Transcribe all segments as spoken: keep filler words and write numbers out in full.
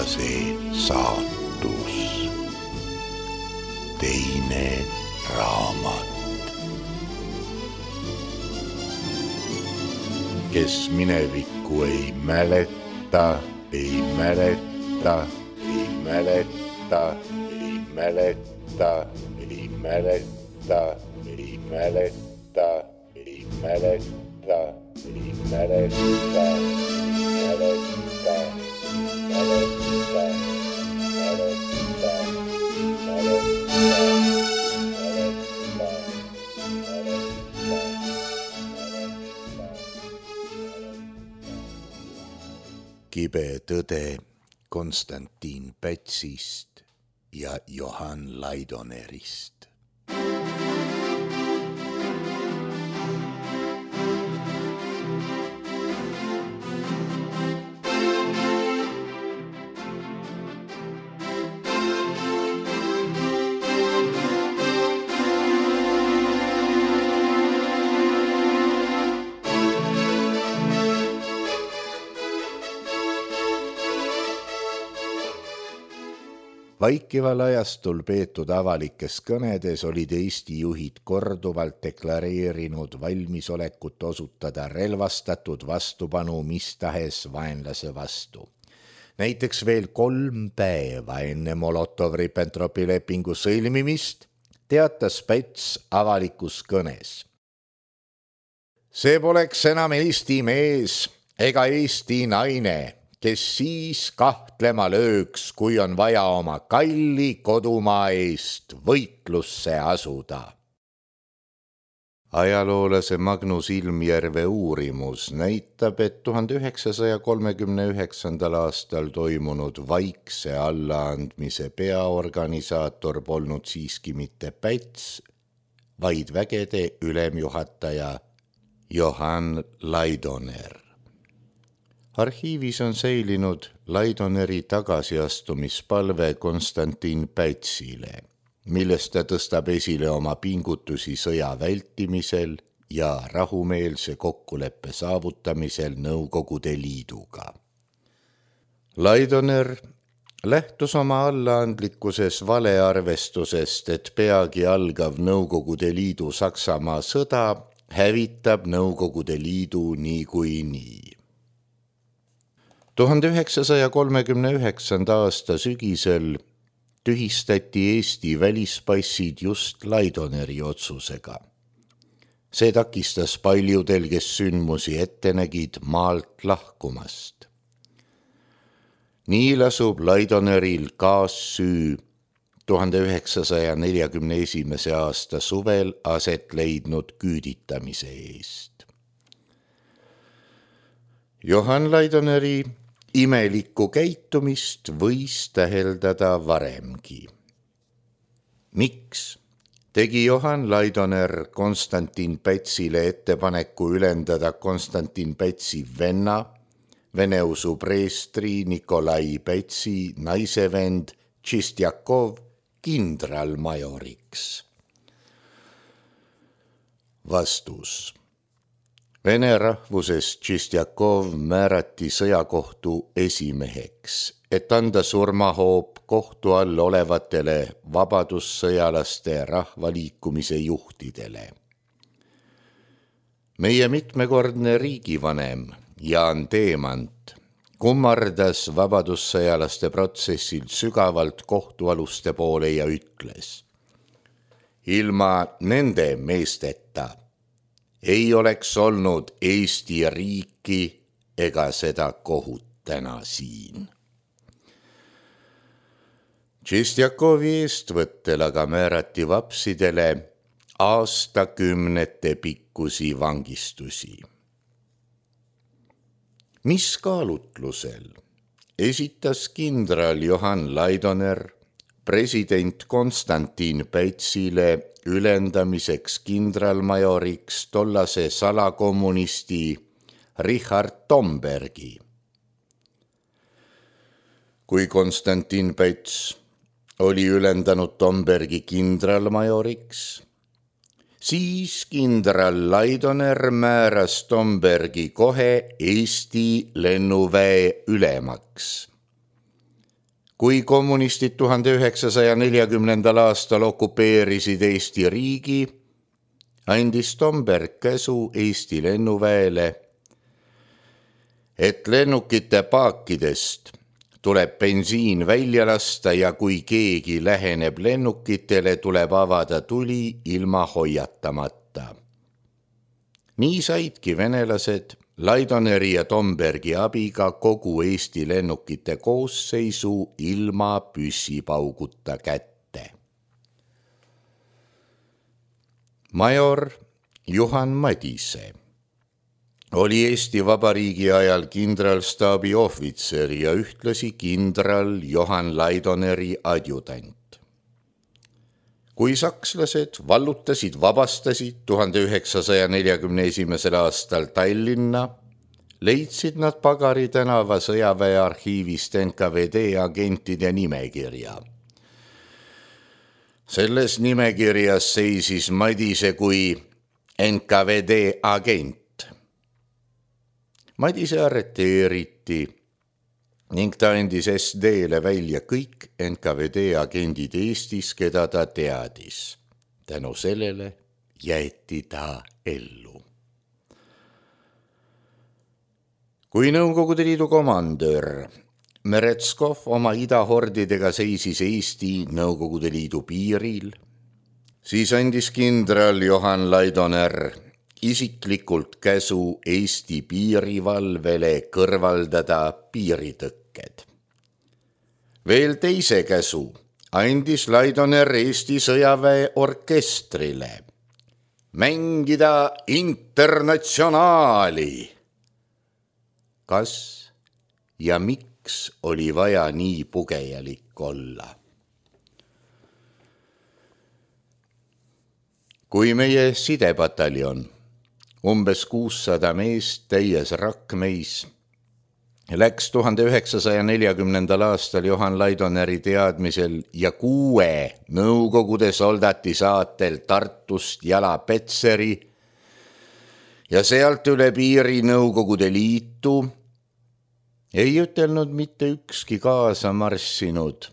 Tollase saatus. Teine raamat. Kes minevikku ei mäleta, ei mäleta, ei mäleta, ei mäleta, ei mäleta, ei mäleta, ei mäleta, ei mäleta, mäleta. Kibe tõde Konstantin Pätsist ja Johann Laidonerist. Vaikival ajastul peetud avalikes kõnedes olid Eesti juhid korduvalt deklareerinud valmisolekut osutada relvastatud vastupanu mis tahes vaenlase vastu. Näiteks veel kolm päeva enne Molotov-Ribbentropi lepingu sõlmimist teatas Päts avalikus kõnes. See poleks enam Eesti mees ega Eesti naine, kes siis kahtlema lööks, kui on vaja oma kalli kodumaa eest võitlusse asuda. Ajaloolase Magnus Ilmjärve uurimus näitab, et tuhande üheksasaja kolmekümne üheksandal aastal toimunud vaikse allaandmise peaorganisaator polnud siiski mitte Päts, vaid vägede ülemjuhataja Johann Laidoner. Arhiivis on säilinud Laidoneri tagasiastumispalve Konstantin Pätsile, millest ta tõstab esile oma pingutusi sõja vältimisel ja rahumeelse kokkuleppe saavutamisel Nõukogude Liiduga. Laidoner lähtus oma allaandlikkuses valearvestusest, et peagi algav Nõukogude Liidu Saksamaa sõda hävitab Nõukogude Liidu nii kui nii. tuhande üheksasaja kolmekümne üheksanda aasta sügisel tühistati Eesti välispassid just Laidoneri otsusega. See takistas paljudel, kes sündmusi ette nägid, maalt lahkumast. Nii lasub Laidoneril kaassüü tuhande üheksasaja neljakümne esimese aasta suvel aset leidnud küüditamise eest. Johann Laidoneri imelikku käitumist võis täheldada varemgi. Miks tegi Johann Laidoner Konstantin Pätsile ettepaneku ülendada Konstantin Pätsi venna, veneusu preestri Nikolai Pätsi naisevend Tšistjakov kindralmajoriks? Vastus. Vene rahvusest Tšistjakov määrati sõjakohtu esimeheks, et anda surmahoop kohtu all olevatele vabadussõjalaste rahvaliikumise juhtidele. Meie mitmekordne riigivanem Jaan Teemant kummardas vabadussõjalaste protsessil sügavalt kohtualuste poole ja ütles: ilma nende meesteta ei oleks olnud Eesti riiki ega seda kohut täna siin. Tšistjakovi eestvõttel aga määrati vapsidele aastakümnete pikkusi vangistusi. Mis kaalutlusel esitas kindral Johann Laidoner president Konstantin Pätsile ülendamiseks kindralmajoriks tollase salakommunisti Richard Tombergi? Kui Konstantin Päts oli ülendanud Tombergi kindralmajoriks, siis kindral Laidoner määras Tombergi kohe Eesti lennuväe ülemaks. kui kommunistid tuhande üheksasaja neljakümnendal aastal okupeerisid Eesti riigi, andis Tomberg käsu Eesti lennuväele, et lennukite paakidest tuleb bensiin välja lasta ja kui keegi läheneb lennukitele, tuleb avada tuli ilma hoiatamata. Nii saidki venelased Laidoneri ja Tombergi abiga kogu Eesti lennukite koosseisu ilma püssipauguta kätte. Major Juhan Madise oli Eesti Vabariigi ajal kindralstaabi ohvitser ja ühtlasi kindral Johan Laidoneri adjutant. Kui sakslased vallutasid, vabastasid tuhande üheksasaja neljakümne esimesel aastal Tallinna, leidsid nad Pagari tänava sõjaväe arhiivist N K V D agentide nimekirja. Selles nimekirjas seisis Madise kui N K V D agent. Madise arreteeriti ning ta andis S D-le välja kõik N K V D agendid Eestis, keda ta teadis. Tänu sellele jäeti ta ellu. Kui Nõukogude Liidu komandör Meretskov oma idahordidega seisis Eesti Nõukogude Liidu piiril, siis andis kindral Johan Laidoner isiklikult käsu Eesti piirivalvele kõrvaldada piiritõkked. Veel teise käsu andis Laidoner Eesti sõjaväe orkestrile mängida Internatsionaali. Kas ja miks oli vaja nii pugejalik olla? Kui meie sidepataljon, umbes kuussada meest täies Rakmeis, läks tuhande üheksasaja neljakümnendal aastal Johan Laidoneri teadmisel ja kuue Nõukogude soldati saatel Tartust jala Petseri ja sealt üle piiri Nõukogude Liitu, ei ütelnud mitte ükski kaasa marssinud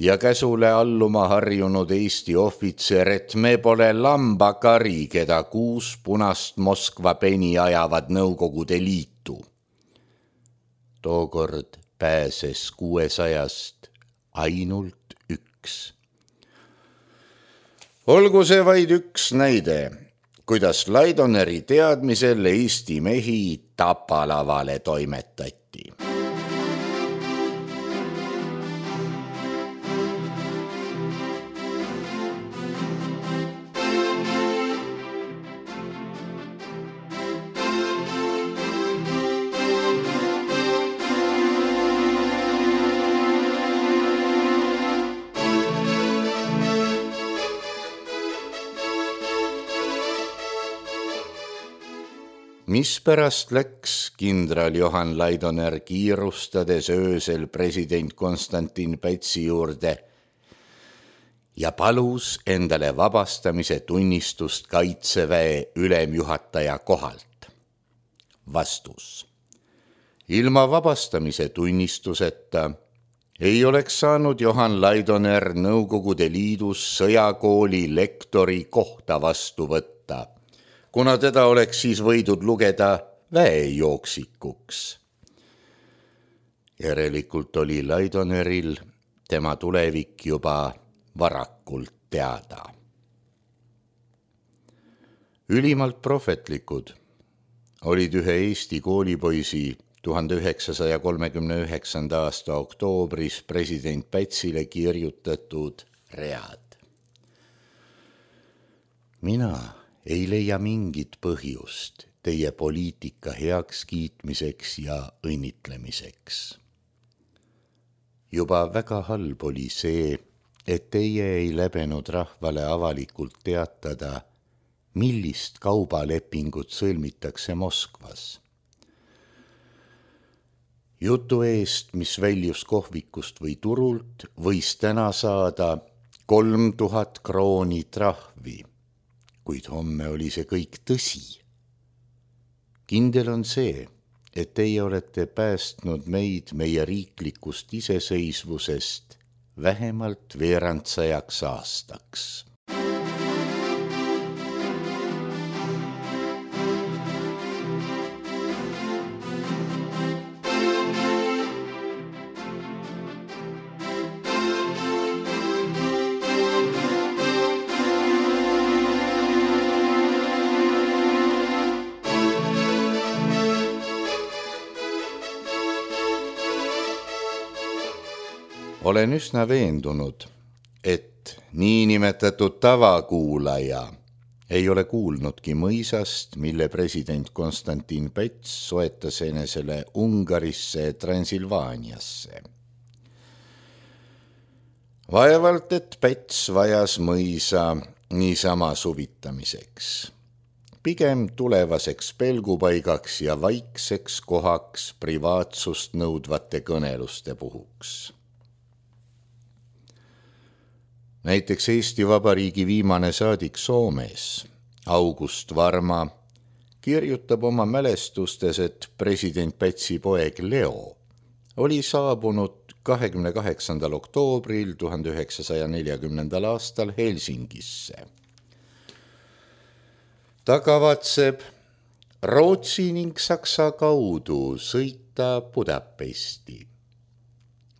ja käsule alluma harjunud Eesti ohvitser, et me pole lambakari, keda kuus punast Moskva peni ajavad Nõukogude Liitu. Tookord pääses kuuesajast ainult üks. Olgu see vaid üks näide, kuidas Laidoneri teadmisel Eesti mehi tapalavale toimetati. Mispärast läks kindral Johan Laidoner kiirustades öösel president Konstantin Pätsi juurde ja palus endale vabastamise tunnistust Kaitseväe ülemjuhataja kohalt? Vastus. Ilma vabastamise tunnistuseta ei oleks saanud Johan Laidoner Nõukogude Liidus sõjakooli lektori kohta vastu võtta, kuna teda oleks siis võidud lugeda väejooksikuks. Järelikult oli Laidoneril tema tulevik juba varakult teada. Ülimalt prohvetlikud olid ühe Eesti koolipoisi tuhande üheksasaja kolmekümne üheksanda aasta oktoobris president Pätsile kirjutatud read. Mina ei leia mingit põhjust teie poliitika heaks kiitmiseks ja õnnitlemiseks. Juba väga halb oli see, et teie ei läbenud rahvale avalikult teatada, millist kaubalepingut sõlmitakse Moskvas. Jutu eest, mis väljus kohvikust või turult, võis täna saada kolm tuhat krooni trahvi. Kuid homme oli see kõik tõsi. Kindel on see, et teie olete päästnud meid meie riiklikust iseseisvusest vähemalt veerandsajaks aastaks. Olen üsna veendunud, et niinimetatud tavakuulaja ei ole kuulnudki mõisast, mille president Konstantin Päts soetas enesele Ungarisse Transilvaaniasse. Vaevalt, et Päts vajas mõisa niisama suvitamiseks. Pigem tulevaseks pelgupaigaks ja vaikseks kohaks privaatsust nõudvate kõneluste puhuks. Näiteks Eesti Vabariigi viimane saadik Soomes, August Varma, kirjutab oma mälestustes, et president Pätsi poeg Leo oli saabunud kahekümne kaheksandal oktoobril tuhande üheksasaja neljakümnendal aastal Helsingisse. Ta kavatseb Rootsi ning Saksa kaudu sõita Budapesti.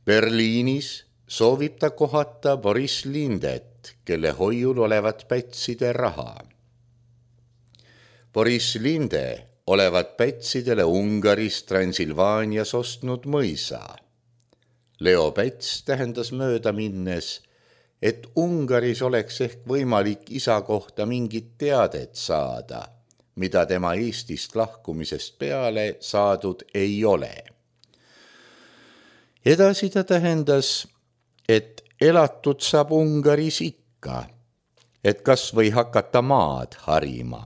Berliinis soovib ta kohata Boris Lindet, kelle hoiul olevat Pätside raha. Boris Linde olevat Pätsidele Ungaris Transilvaanias ostnud mõisa. Leo Päts tähendas mööda minnes, et Ungaris oleks ehk võimalik isa kohta mingit teadet saada, mida tema Eestist lahkumisest peale saadud ei ole. Edasi ta tähendas, et elatud saab Ungaris ikka, et kas või hakata maad harima.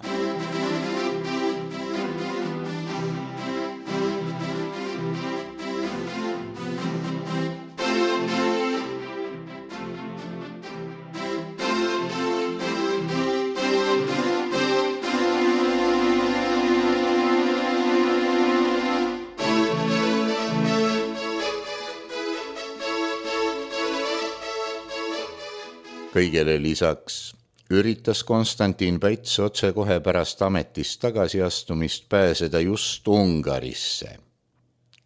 Kõigele lisaks üritas Konstantin Päts otsekohe pärast ametist tagasiastumist pääseda just Ungarisse.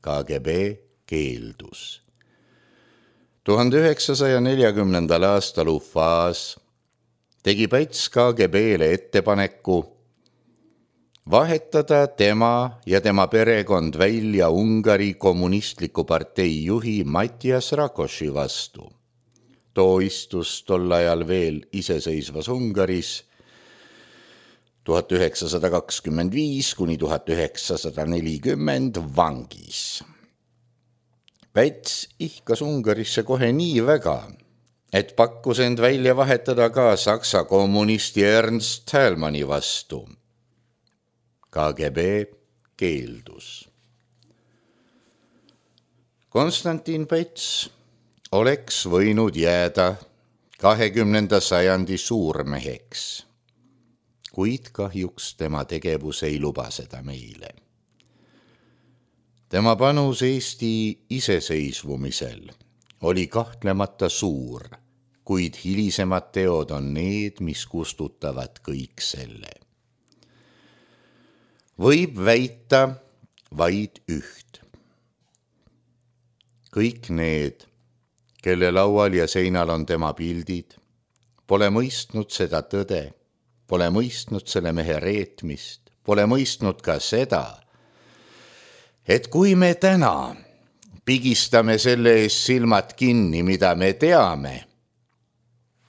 K G B keeldus. tuhande üheksasaja neljakümnendal aastal Ufas tegi Päts K G B-le ettepaneku vahetada tema ja tema perekond välja Ungari kommunistliku partei juhi Matyas Rakosi vastu. Too istus tol ajal veel iseseisvas Ungaris tuhat üheksasada kakskümmend viis kuni tuhat üheksasada nelikümmend vangis. Päts ihkas Ungarisse kohe nii väga, et pakkus end välja vahetada ka Saksa kommunisti Ernst Thälmanni vastu. K G B keeldus. Konstantin Päts oleks võinud jääda kahekümnenda sajandi suurmeheks, kuid kahjuks tema tegevus ei luba seda meile. Tema panus Eesti iseseisvumisel oli kahtlemata suur, kuid hilisemad teod on need, mis kustutavad kõik selle. Võib väita vaid üht. Kõik need, kelle laual ja seinal on tema pildid, pole mõistnud seda tõde, pole mõistnud selle mehe reetmist, pole mõistnud ka seda, et kui me täna pigistame selle ees silmad kinni, mida me teame,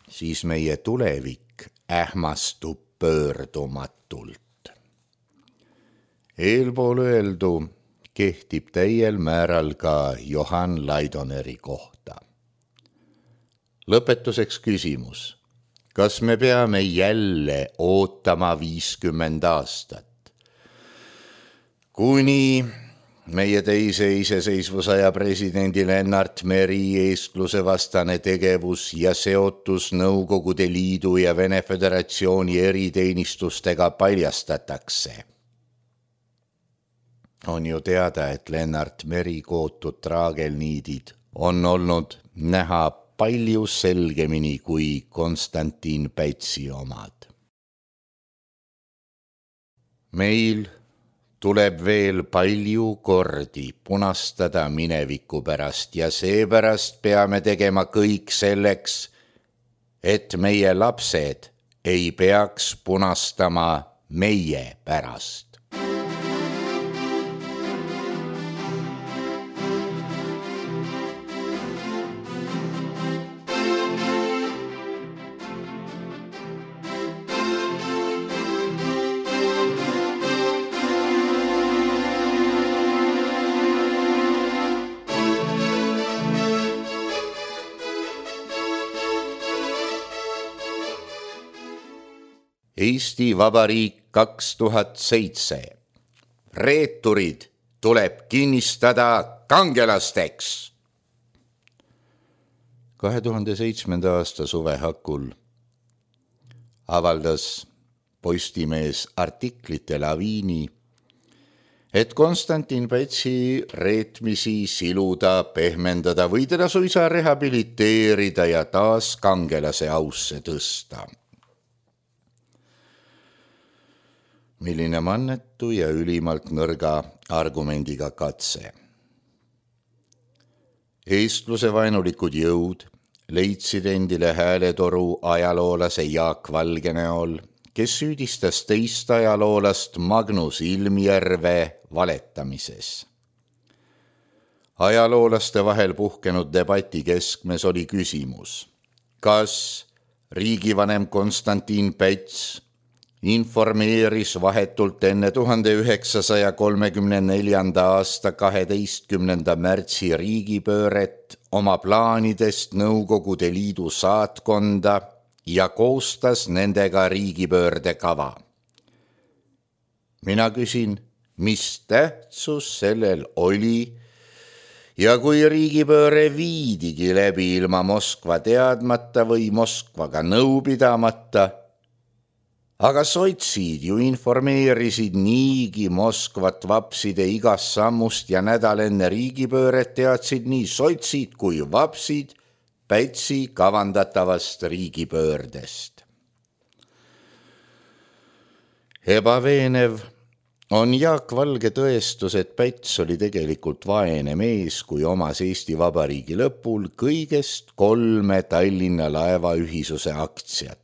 siis meie tulevik ähmastub pöördumatult. Eelpool öeldu kehtib täiel määral ka Johann Laidoneri kohta. Lõpetuseks küsimus, kas me peame jälle ootama viiskümmend aastat, kuni meie teise iseseisvusaja presidendi Lennart Meri eeskluse vastane tegevus ja seotus Nõukogude Liidu ja Vene Föderatsiooni eriteenistustega paljastatakse? On ju teada, et Lennart Meri kootud traagelniidid on olnud näha palju selgemini kui Konstantin Pätsi omad. Meil tuleb veel palju kordi punastada mineviku pärast ja seepärast peame tegema kõik selleks, et meie lapsed ei peaks punastama meie pärast. Eesti Vabariik kaks tuhat seitse. Reeturid tuleb kinnistada kangelasteks. kahe tuhande seitsmenda aasta suve hakul avaldas Postimees artiklite laviini, et Konstantin Pätsi reetmisi siluda, pehmendada või teda suisa rehabiliteerida ja taas kangelase ausse tõsta. Milline mannetu ja ülimalt nõrga argumendiga katse. Eestluse vaenulikud jõud leidsid endile hääletoru ajaloolase Jaak Valge näol, kes süüdistas teist ajaloolast Magnus Ilmjärve valetamises. Ajaloolaste vahel puhkenud debati keskmes oli küsimus, kas riigivanem Konstantin Päts informeeris vahetult enne tuhande üheksasaja kolmekümne neljanda aasta kaheteistkümnenda märtsi riigipööret oma plaanidest Nõukogude Liidu saatkonda ja koostas nendega riigipöörde kava. Mina küsin, mis tähtsus sellel oli ja kui riigipööre viidigi läbi ilma Moskva teadmata või Moskvaga nõu pidamata, aga sotsid ju informeerisid niigi Moskvat vapside igast sammust ja nädal enne riigipööret teadsid nii sotsid kui vapsid Pätsi kavandatavast riigipöördest. Ebaveenev on Jaak Valge tõestus, et Päts oli tegelikult vaene mees, kui omas Eesti Vabariigi lõpul kõigest kolme Tallinna laevaühisuse aktsiat.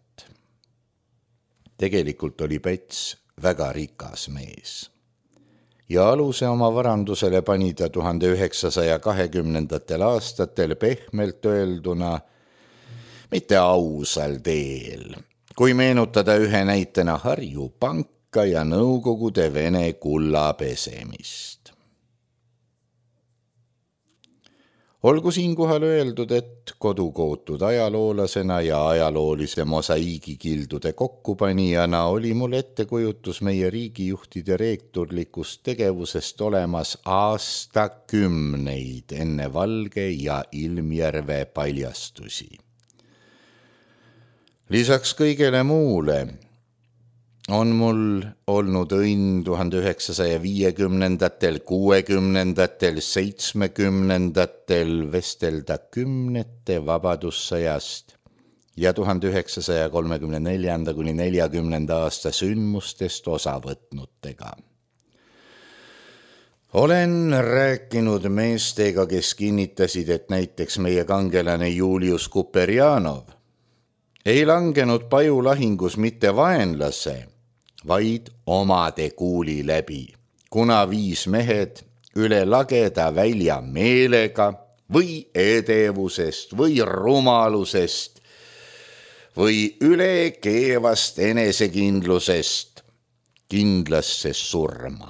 Tegelikult oli Päts väga rikas mees ja aluse oma varandusele pani ta tuhande üheksasaja kahekümnendatel aastatel pehmelt öelduna mitte ausal teel, kui meenutada ühe näitena Harju Panka ja Nõukogude Vene kulla pesemist. Olgu siinkohal öeldud, et kodukootud ajaloolasena ja ajaloolise mosaiigikildude kokkupanijana oli mul ettekujutus meie riigijuhtide reekturlikust tegevusest olemas aastakümneid enne Valge ja Ilmjärve paljastusi. Lisaks kõigele muule on mul olnud õnn tuhande üheksasaja viiekümnendatel, kuuekümnendatel, seitsmekümnendatel vestelda kümnete vabadussõjast ja tuhande üheksasaja kolmekümne neljanda kuni neljakümnenda aasta sündmustest osa võtnutega. Olen rääkinud meestega, kes kinnitasid, et näiteks meie kangelane Julius Kuperjanov ei langenud pajulahingus mitte vaenlase, vaid omade kuuli läbi, kuna viis mehed üle lageda välja meelega või edevusest või rumalusest või üle keevast enesekindlusest kindlasse surma.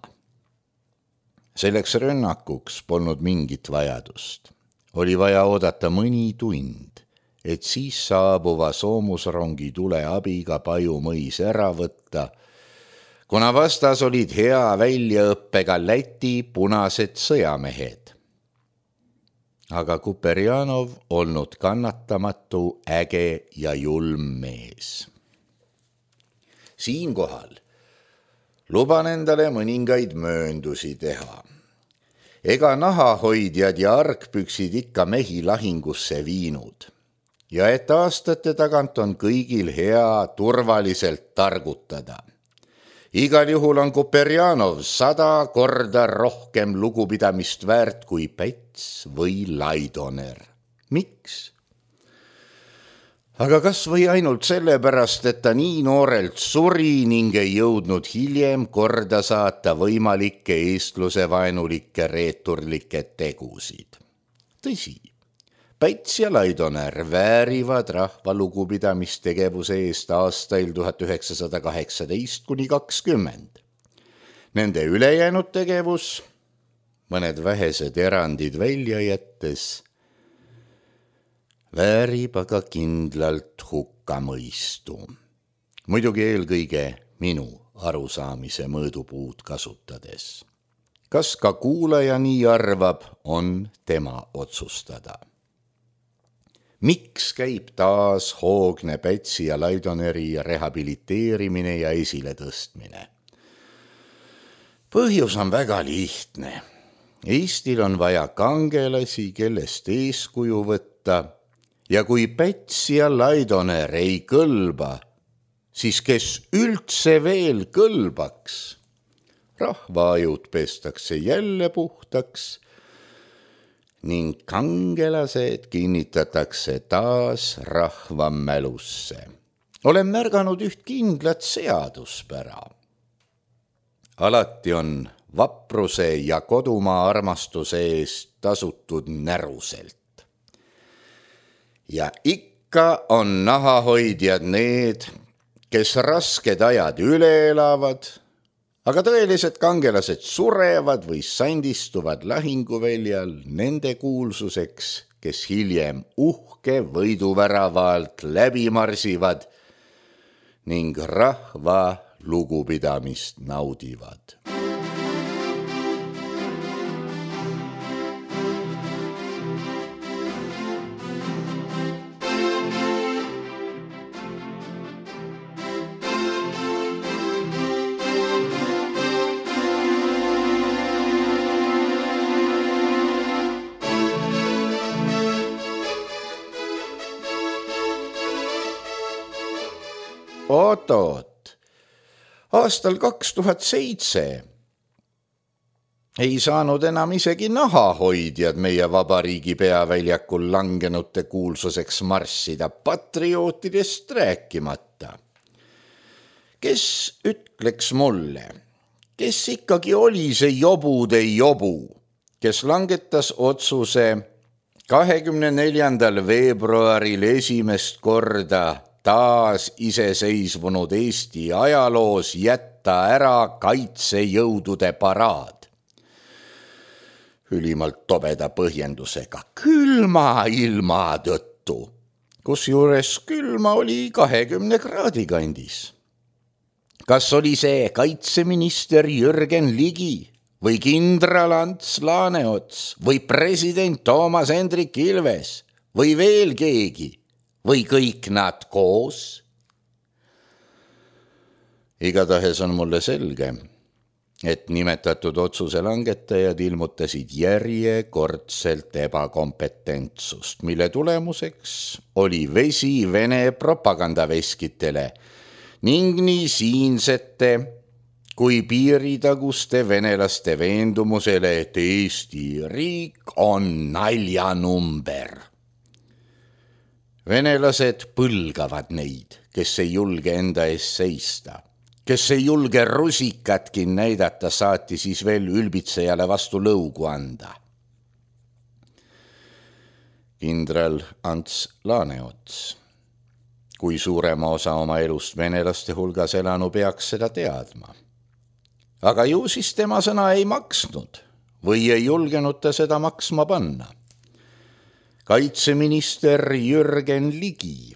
Selleks rünnakuks polnud mingit vajadust. Oli vaja oodata mõni tund, et siis saabuva soomusrongi tule abiga Paju mõis ära võtta, kuna vastas olid hea väljaõppega Läti punased sõjamehed. Aga Kuperjanov olnud kannatamatu, äge ja julm mees. Siinkohal luban endale mõningaid mööndusi teha. Ega nahahoidjad ja argpüksid ikka mehi lahingusse viinud. Ja et aastate tagant on kõigil hea turvaliselt targutada. Igal juhul on Kuperjanov sada korda rohkem lugupidamist väärt kui Päts või Laidoner. Miks? Aga kas või ainult sellepärast, et ta nii noorelt suri ning ei jõudnud hiljem korda saata võimalikke eestluse vaenulikke reeturlikke tegusid. Tõsi, Päts ja Laidoner väärivad rahva lugupidamistegevuse eest aastail tuhat üheksasada kaheksateist kuni kakskümmend. Nende ülejäänud tegevus, mõned vähesed erandid välja jättes, väärib aga kindlalt hukkamõistu. Muidugi eelkõige minu arusaamise mõõdupuud kasutades. Kas ka kuulaja nii arvab, on tema otsustada. Miks käib taas hoogne Pätsi ja Laidoneri rehabiliteerimine ja esiletõstmine? Põhjus on väga lihtne. Eestil on vaja kangelasi, kellest eeskuju võtta, ja kui Päts ja Laidoner ei kõlba, siis kes üldse veel kõlbaks? Rahvaajud pestakse jälle puhtaks ning kangelased kinnitatakse taas rahva mälusse. Olen märganud üht kindlat seaduspära. Alati on vapruse ja kodumaa armastuse eest tasutud näruselt. Ja ikka on nahahoidjad need, kes rasked ajad üle elavad, aga tõelised kangelased surevad või sandistuvad lahinguväljal nende kuulsuseks, kes hiljem uhke võiduvärava alt läbi marsivad ning rahva lugupidamist naudivad. Oot-oot, aastal kaks tuhat seitse ei saanud enam isegi nahahoidjad meie vabariigi peaväljakul langenute kuulsuseks marssida, patriootidest rääkimata. Kes ütleks mulle, kes ikkagi oli see jobude jobu, kes langetas otsuse kahekümne neljandal veebruaril esimest korda taas iseseisvunud Eesti ajaloos jätta ära kaitsejõudude paraad. Ülimalt tobeda põhjendusega külma ilma tõttu, kusjuures külma oli kahekümne kraadi kandis. Kas oli see kaitseminister Jürgen Ligi või kindral Ants Laaneots või president Toomas Hendrik Ilves või veel keegi? Või kõik nad koos? Igatahes on mulle selge, et nimetatud otsuse langetajad ilmutasid järjekordselt ebakompetentsust, mille tulemuseks oli vesi Vene propagandaveskitele ning nii siinsete kui piiritaguste venelaste veendumusele, et Eesti riik on naljanumber. Venelased põlgavad neid, kes ei julge enda ees seista, kes ei julge rusikatki näidata, saati siis veel ülbitsejale vastu lõugu anda. Kindral Ants Laaneots, kui suurema osa oma elust venelaste hulgas elanu, peaks seda teadma. Aga ju siis tema sõna ei maksnud või ei julgenud ta seda maksma panna. Kaitseminister Jürgen Ligi.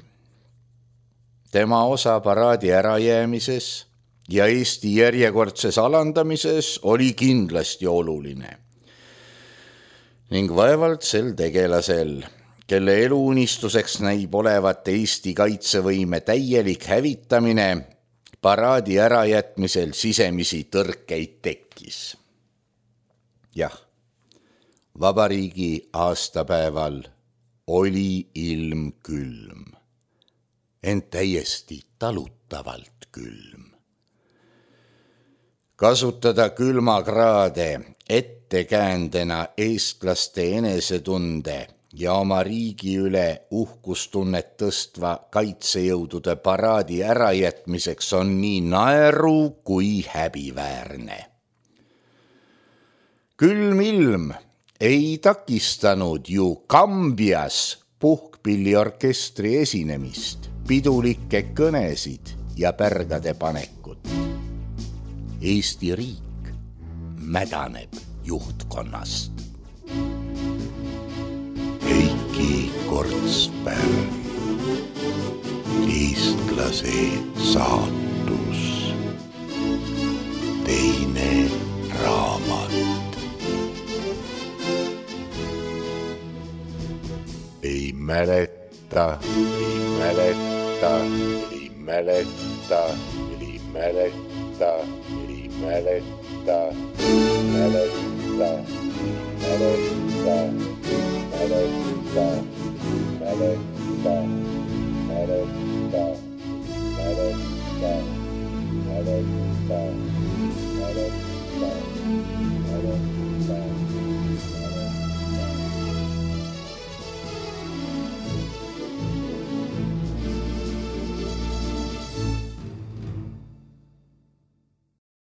Tema osa paraadi ärajäämises ja Eesti järjekordses alandamises oli kindlasti oluline. Ning vaevalt sel tegelasel, kelle eluunistuseks näib olevat Eesti kaitsevõime täielik hävitamine, paraadi ärajätmisel sisemisi tõrkeid tekkis. Jah, vabariigi aastapäeval oli ilm külm, ent täiesti talutavalt külm. Kasutada külmakraade ettekäändena eestlaste enesetunde ja oma riigi üle uhkustunnet tõstva kaitsejõudude paraadi ärajätmiseks on nii naeru kui häbiväärne. Külm ilm ei takistanud ju Kambias puhkpilliorkestri esinemist, pidulikke kõnesid ja pärgade panekut. Eesti riik mädaneb juhtkonnast. Heiki Kortspärn, eestlase saatus, teine raamat. Ei mäleta, ei mäleta, ei mäleta, ei mäleta, ei mäleta, mäleta, mäleta, mäleta, mäleta, mäleta, mäleta, mäleta, mäleta,